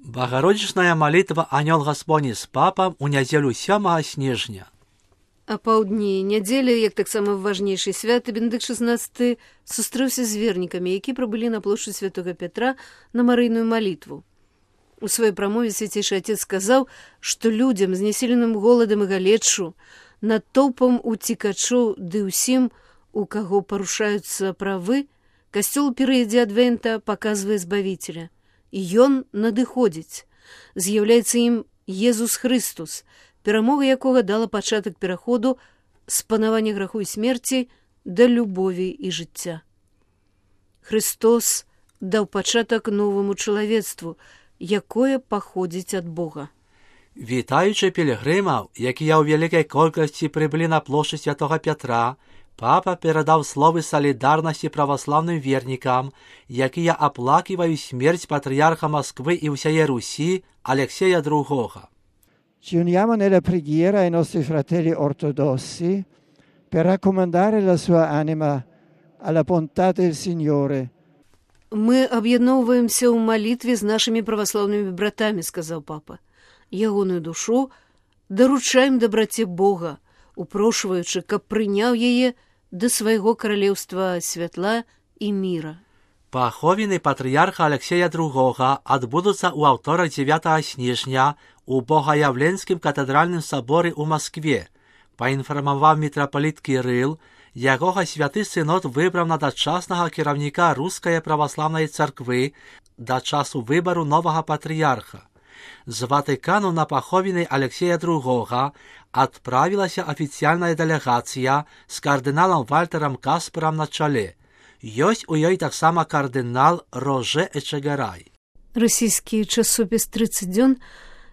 Багародзічная малітва Анёл Гаспоні з папам у нядзелю 7 снежня. А паўдні нядзелі, як таксама важнейшы святы, Бенедыкт XVI сустрэўся з вернікамі, які прыбылі на плошчу Святога Пятра на марыйную малітву. У сваёй прамове свяцейшы отец сказаў, што людзям, знясіленым голадам і галечшу, натоўпам уцікачоў ды ўсім, у каго парушаюцца правы, касцёл у перыядзе адвента паказвае збавіцеля. І ён надыходзіць. З'яўляецца ім Езус Хрыстус, перамога якога дала пачатак пераходу з панавання граху і смерці да любові і жыцця. Христос даў пачатак новаму чалавецтву, якое паходзіць ад Бога. Вітаючы пілігрымаў, якія ў вялікай колькасці прыбылі на плошчу Святога Пятра, папа перадаў словы салідарнасці праваслаўным вернікам, якія аплаківаюць смерць патрыярха Москвы і ўсяе Русі Алексея II. Ci uniamo nella preghiera ai nostri fratelli ortodossi per raccomandare la sua anima alla bontà del Signore. Мы аб'ядноўваемся ў малітве з нашымі праваслаўнымі братамі, сказаў папа. Ягоную душу даручаем дабраце Бога, упрошваючы, каб прыняў яе да свайго каралеўства святла і міра. Паховіны патрыярха Алексея II адбудуцца ў аўторак 9 снежня у Богоявленскім катэдральным саборы ў Маскве. Паінфармаваў мітрапаліт Кірыл, якога святы сынод выбраў на дачаснага кіраўніка Рускай праваслаўнай царквы да часу выбару новага патрыярха. З Ватыкану на паховіны Алексея II адправілася афіцыяльная дэлегацыя з кардыналам Вальтарам Каспарам на чале. Ёсць у ёй таксама кардынал Роже Эчегарай. Расійскі часопіс «30 дзён»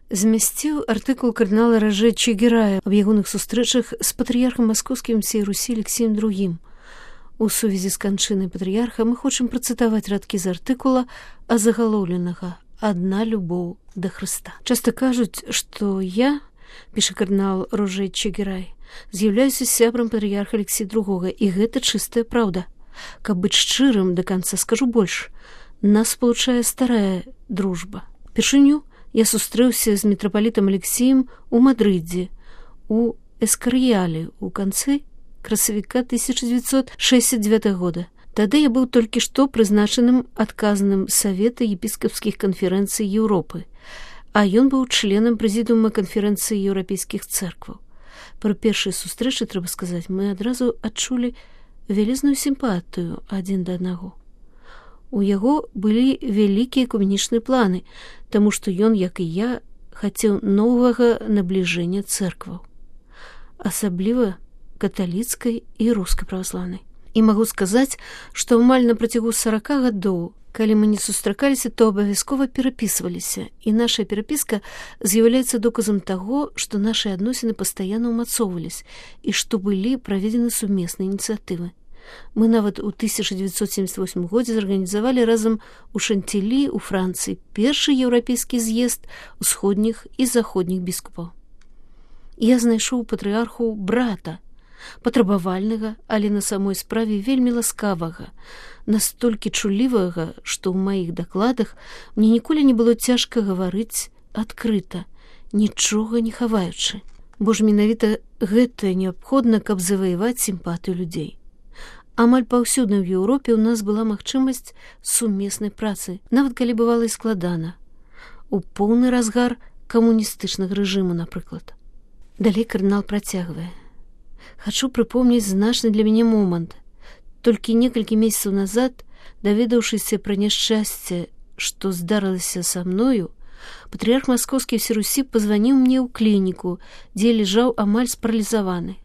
змясціў артыкул кардынала Роже Эчегерая аб ягоных сустрэчах з патрыярхам маскоўскім всей Русі Алексеем II. У сувязі з канчынай патрыярха мы хочам працытаваць радкі з артыкула азагалоўленага «Адна любоў да Хрыста». Часта кажуць, што я, піша кардынал Роже Эчегерай, з'яўляюся сябрам патрыярха Алексея II, і гэта чыстая праўда. Каб быць шчырым да канца, скажу больш. Нас спалучае старая дружба. Першыню я сустрэўся з мітрапалітам Алексеем у Мадрыдзе, у Эскарыяле, у канцы красавіка 1969 года. Тады я быў толькі што прызначаным адказным Савета епіскапскіх канферэнцый Еўропы, а ён быў членам прэзідыума канферэнцыі еўрапейскіх цэркваў. Пры першай сустрэчы, трэба сказаць, мы адразу адчулі вялізную сімпатыю адзін да аднаго. У яго былі вялікія экуменічныя планы, таму што ён, як і я, хацеў новага набліжэння цэркваў, асабліва каталіцкай і рускай праваслаўнай. І магу сказаць, што амаль на працягу 40 гадоў, калі мы не сустракаліся, то абавязкова перапісваліся, і наша перапіска з'яўляецца доказам таго, што нашы адносіны пастаянна ўмацоўваліся і што былі праведзены сумесныя ініцыятывы. Мы нават у 1978 годзе зарганізавалі разам у Шантілі, у Францыі, першы еўрапейскі з'езд усходніх і заходніх біскупаў. Я знайшоў патрыярху брата, патрабавальнага, але на самой справе вельмі ласкавага, настолькі чулівага, што ў маіх дакладах мне ніколі не было цяжка гаварыць адкрыта, нічога не хаваючы. Бо ж менавіта гэта неабходна, каб заваяваць сімпатыю людзей. Амаль паўсюдна ў Еўропе ў нас была магчымасць сумеснай працы, нават калі бывала і складана. У поўны разгар камуністычнага рэжыму, напрыклад. Далей кардынал працягвае. Хачу прыпомніць значны для мяне момант. Толькі некалькі месяцаў назад, даведаўшыся пра няшчасце, што здарылася са мною, патрыярх маскоўскі ўсёй Русі пазваніў мне ў клініку, дзе лежаў амаль спаралізаваны.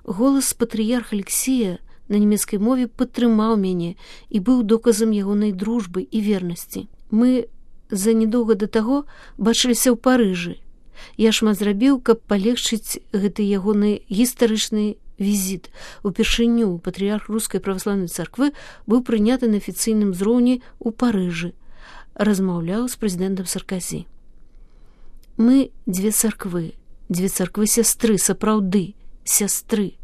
Голас патрыярха Алексея на нямецкай мове падтрымаў мяне і быў доказам ягонай дружбы і вернасці. Мы за нядоўга да таго бачыліся ў Парыжы. Я шмат зрабіў, каб палегчыць гэты ягоны гістарычны візіт. Упершыню патрыярх Рускай праваслаўнай царквы быў прыняты на афіцыйным узроўні ў Парыжы. Размаўляў з прэзідэнтам Сарказі. Мы дзве царквы сястры, сапраўды, сястры.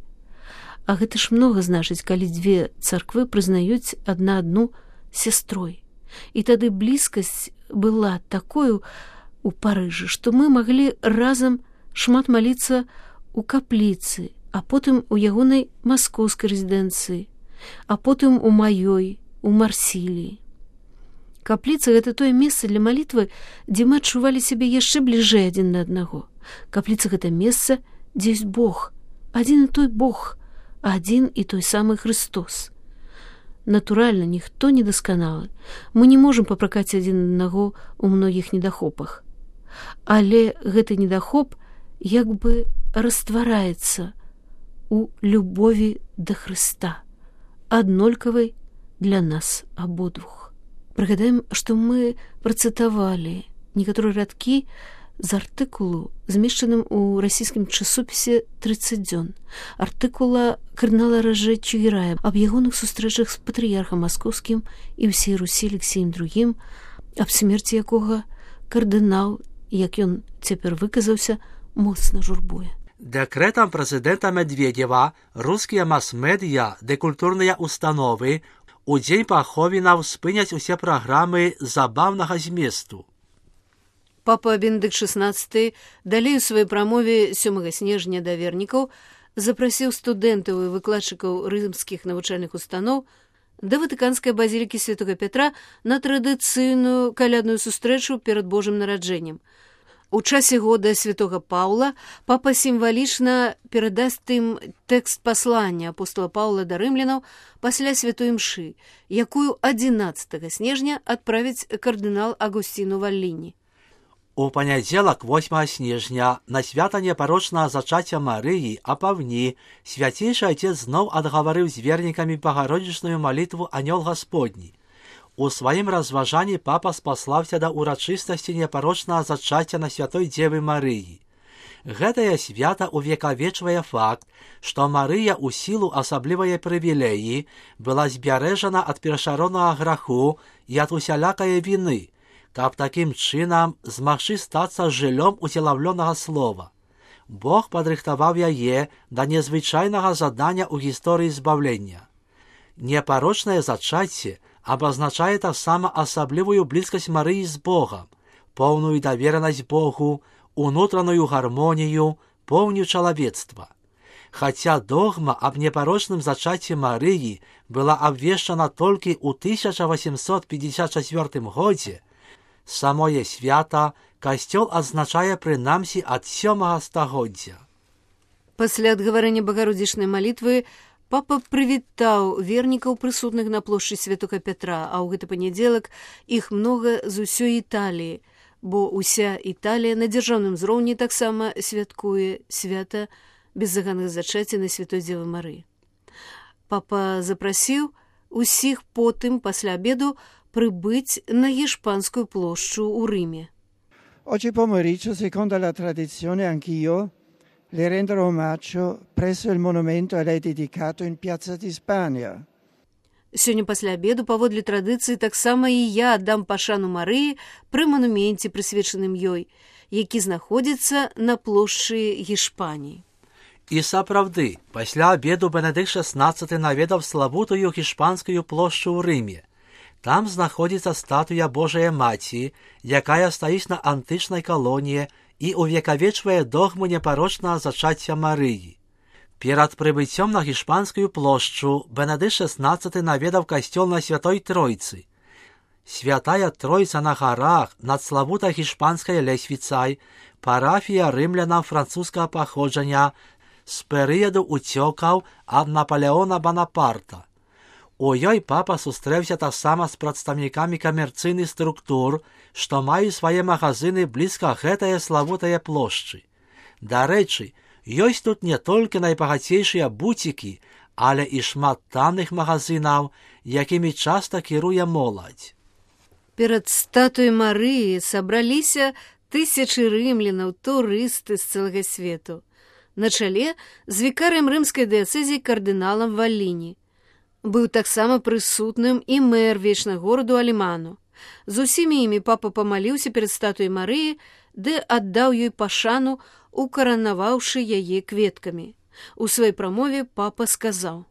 А гэта ж многа значыць, калі дзве царквы прызнаюць адна адну сястрой. І тады блізкасць была такою у Парыжы, што мы маглі разам шмат маліцца у капліцы, а потым у ягонай маскоўскай рэзідэнцыі, а потым у маёй, у Марсіліі. Капліца — гэта тое месца для малітвы, дзе мы адчувалі сябе яшчэ бліжэй адзін да аднаго. Капліца — гэта месца, дзе ёсць Бог, адзін і той Бог, адзін і той самы Христос. Натуральна, ніхто не дасканалы. Мы не можам папракаць адзін аднаго ў многіх недахопах. Але гэты недахоп як бы раствараецца у любові да Хрыста, аднолькавай для нас абодвух. Прыгадаем, што мы працытавалі некаторыя радкі з артыкулу, змешчаным у расійскім часопісе «30 дзён», артыкула кардынала Роже Чигирая аб ягоных сустрэчах з патрыярхам маскоўскім і ўсей Русі Алексеем II, аб смерці якога кардынал, як ён цяпер выказаўся, моцна журбуе. Декретом президента Медведєва русские масс-медіа ды культурныя установы у дзень паховінаў спыняць усе праграмы забаўнага зместу. Папа Бенедыкт XVI далей у сваёй прамове 7 снежня да вернікаў запрасіў студэнтаў і выкладчыкаў рымскіх навучальных устаноў да ватыканскай базілікі Святога Петра на традыцыйную калядную сустрэчу перад Божым нараджэннем. У часе года святога Паўла папа сімвалічна перадасць ім тэкст паслання апостола Паўла да рымлянаў пасля святой імшы, якую 11 снежня адправіць кардынал Агусціну Валліні. У панядзелак 8 снежня на свята непарочнага зачацця Марыі апаўні свяцейшы Отец зноў адгаварыў з вернікамі багародзічную малітву Анёл Гасподні. У сваім разважанні папа спаслаўся да ўрачыстасці непарочнага зачацця на святой Дзевы Марыі. Гэтае свята увекавечвае факт, што Марыя ў сілу асаблівай прывілеі была збярэжана ад першароднага граху і ад усялякае віны, каб такім чынам змагчы стацца жыллём уцелаўлёнага слова. Бог падрыхтаваў яе да незвычайнага задання ў гісторыі збаўлення. Непарочнае зачацце абазначае таксама асаблівую блізкасць Марыі з Богам, поўную даверанасць Богу, унутраную гармонію, поўню чалавецтва. Хаця догма аб непарочным зачацці Марыі была абвешчана толькі ў 1854 годзе, самое свята касцёл адзначае прынамсі ад 7 стагоддзя. Пасля адгаварэння багародзічнай малітвы папа прывітаў вернікаў прысутных на плошчы Святога Петра, а ў гэты панядзелак іх многа з усёй Італіі, бо ўся Італія на дзяржаўным узроўні таксама святкуе свята беззаганных зачацця на святой Дзевы Марыі. Папа запрасіў усіх потым пасля абеду прибыть на Гішпанскую площу у Римі. Oggi pomeriggio, secondo la tradizione, anch'io le renderò omaggio presso il monumento a lei dedicato in Piazza di Spagna. Сёння пасля абеду, паводле традыцыі, таксама і я аддам пашану Марыі пры мануменце, прысвечаным ёй, які знаходзіцца на плошчы Гішпаніі. І сапраўды, пасля абеду Бенедыкт XVI наведаў славутую гішпанскую плошчу ў Рыме. Там знаходзіцца статуя Божая Маці, якая стаіць на антычнай калоніі і увекавечвае догму непарочнага зачацця Марыі. Перад прыбыццём на гішпанскую плошчу Бенедыкт XVI наведаў касцёл на Святой Тройцы. Святая Тройца на гарах над славутай гішпанскай лесвіцай, парафія рымлянам французскага паходжання з перыяду уцёкаў ад Напалеона Банапарта. У ёй папа сустрэўся таксама з прадстаўнікамі камерцыйных структур, што маюць свае магазыны блізка гэтае славутае плошчы. Дарэчы, ёсць тут не толькі найбагацейшыя буцікі, але і шмат танных магазынаў, якімі часта кіруе моладзь. Перад статуяй Марыі сабраліся тысячы рымлянаў, турысты з цэлага свету. На чале з вікарыем рымскай дыяцэзіі кардыналам Валліні. Быў таксама прысутным і мэр вечнага гораду Аліману. З усімі імі папа памаліўся перад статуяй Марыі, ды аддаў ёй пашану, укаранаваўшы яе кветкамі. У сваёй прамове папа сказаў: